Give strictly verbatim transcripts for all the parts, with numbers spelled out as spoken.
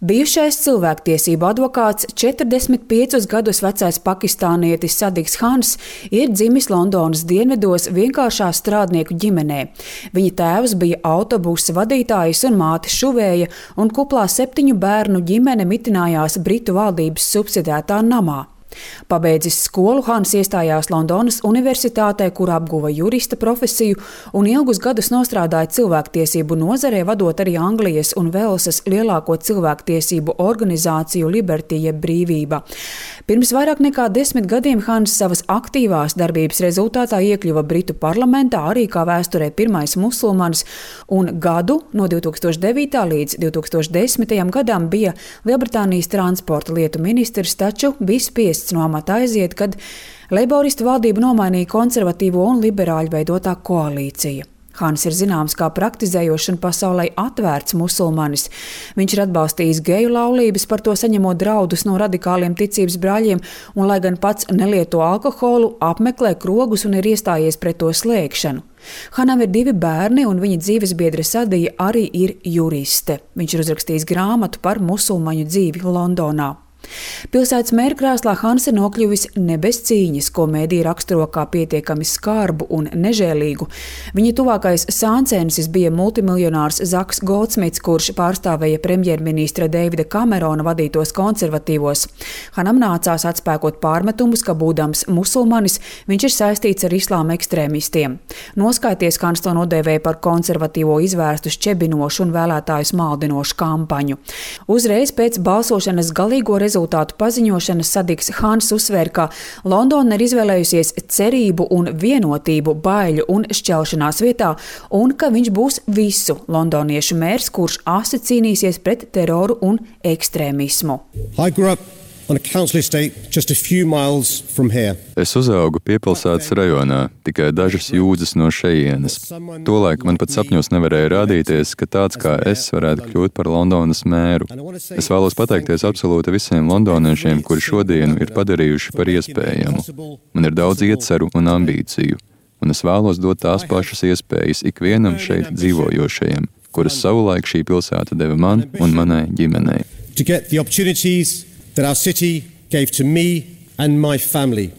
Bijušais cilvēktiesību advokāts, četrdesmit piecus gadus vecais pakistānietis Sadiks Khans ir dzimis Londonas dienvidos vienkāršā strādnieku ģimenē. Viņa tēvs bija autobusa vadītājs un māte šuvēja, un kuplā septiņu bērnu ģimene mitinājās Britu valdības subsidētā namā. Pabeidzis skolu, Khans iestājās Londonas universitātē, kur apguva jurista profesiju un ilgus gadus nostrādāja cilvēktiesību nozarē, vadot arī Anglijas un Velsas lielāko cilvēktiesību organizāciju Liberty jeb Brīvība. Pirms vairāk nekā desmit gadiem Khans savas aktīvās darbības rezultātā iekļuva Britu parlamentā arī kā vēsturē pirmais musulmanis, un gadu no divi tūkstoši devītā līdz divi tūkstoši desmitajam gadam bija Lielbritānijas transporta lietu ministrs, taču bija spiests no amata aiziet, kad leiboristu valdību nomainīja konservatīvo un liberāļu veidotā koalīcija. Khans ir zināms kā praktizējošs un pasaulē atvērts musulmanis. Viņš ir atbalstījis geju laulības, par to saņemot draudus no radikāliem ticības brāļiem, un, lai gan pats nelieto alkoholu, apmeklē krogus un ir iestājies pret to slēgšanu. Khanam ir divi bērni, un viņa dzīvesbiedre Sadija arī ir juriste. Viņš ir uzrakstījis grāmatu par musulmaņu dzīvi Londonā. Pilsētas mēra krēslā Khans ir nokļuvis ne bez cīņas, ko mēdī raksturo kā pietiekami skarbu un nežēlīgu. Viņa tuvākais sāncensis bija multimiljonārs Zaks Goldsmits, kurš pārstāvēja premjerministra Davida Kamerona vadītos konservatīvos. Khanam nācās atspēkot pārmetumus, ka būdams musulmanis, viņš ir saistīts ar islāma ekstrēmistiem. Noskaities, Khans to nodēvēja par konservatīvo izvērstu šķebinošu un vēlētājus maldinošu kampaņu. Uzreiz pēc balsošanas galīgo rezultātu Rezultātu paziņošanas Sadiks Khans uzsvēra, ka Londona ir izvēlējusies cerību un vienotību baiļu un šķelšanās vietā, un ka viņš būs visu londoniešu mērs, kurš asi cīnīsies pret teroru un ekstrēmismu. On a council estate just a few miles from here. Es uzaugu piepilsētas rajonā, tikai dažas jūdzes no šejienes. Tolaik man pat sapņos nevarēja rādīties, ka tāds kā es varētu kļūt par Londonas mēru. Es vēlos pateikties absolūti visiem londoniešiem, kuri šodienu ir padarījuši par iespējamu. Man ir daudz ieceru un ambīciju, un es vēlos dot tās pašas iespējas ikvienam šeit dzīvojošajam, kuras savulaik šī pilsēta deva man un manai ģimenei. To get the opportunities that our city gave to me and my family.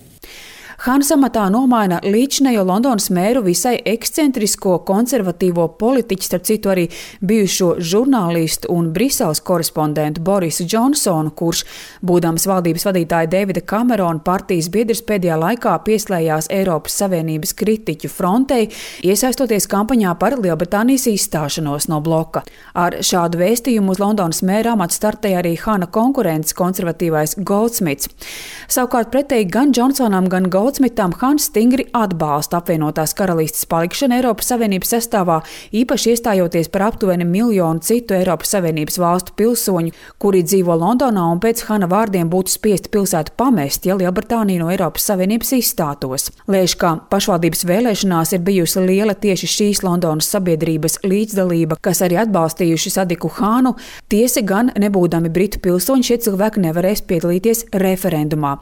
Khans amatā nomaina līdzinējo Londonas mēru visai ekscentrisko konservatīvo politiķu, starp citu arī bijušo žurnālistu un Briseles korespondentu Borisu Džonsonu, kurš, būdams valdības vadītāja Davida Kamerona partijas biedrs, pēdējā laikā pieslējās Eiropas Savienības kritiķu frontei, iesaistoties kampaņā par Lielbritānijas izstāšanos no bloka. Ar šādu vēstījumu uz Londonas mēra amatu startēja arī Khana konkurents konservatīvais Goldsmits. Savukārt pretēji gan Džonsonam, gan Goldsmitam Goldsmitam Khans stingri atbalsta apvienotās karalistes palikšanu Eiropas Savienības sastāvā, īpaši iestājoties par aptuveni miljonu citu Eiropas Savienības valstu pilsoņu, kuri dzīvo Londonā un pēc Khana vārdiem būtu spiesti pilsētu pamest, ja Lielbritānija no Eiropas Savienības izstātos. Lēš, ka pašvaldības vēlēšanās ir bijusi liela tieši šīs Londonas sabiedrības līdzdalība, kas arī atbalstījuši Sadiku Khanu. Tiesa gan, nebūdami britu pilsoņi, šie cilvēki nevarēs piedalīties referendumā.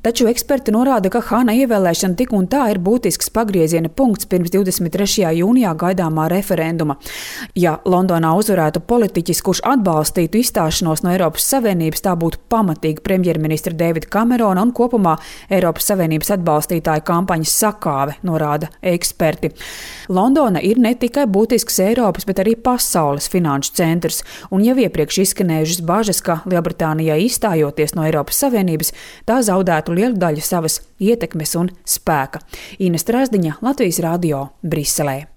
Taču eksperti norāda, ka Khana ievēlēšana tik un tā ir būtisks pagrieziena punkts pirms divdesmit trešajā jūnijā gaidāmā referenduma. Ja Londonā uzvarētu politiķis, kurš atbalstītu izstāšanos no Eiropas Savienības, tā būtu pamatīga premjerministra Davida Kamerona un kopumā Eiropas Savienības atbalstītāju kampaņas sakāve, norāda eksperti. Londona ir ne tikai būtisks Eiropas, bet arī pasaules finanšu centrs, un jau iepriekš izskanējušas bažas, ka Lielbritānijai izstājoties no Eiropas Savienības, tā zaudētu lielu daļu savas ietekmes un spēka. Ines Trasdiņa, Latvijas radio, Briselē.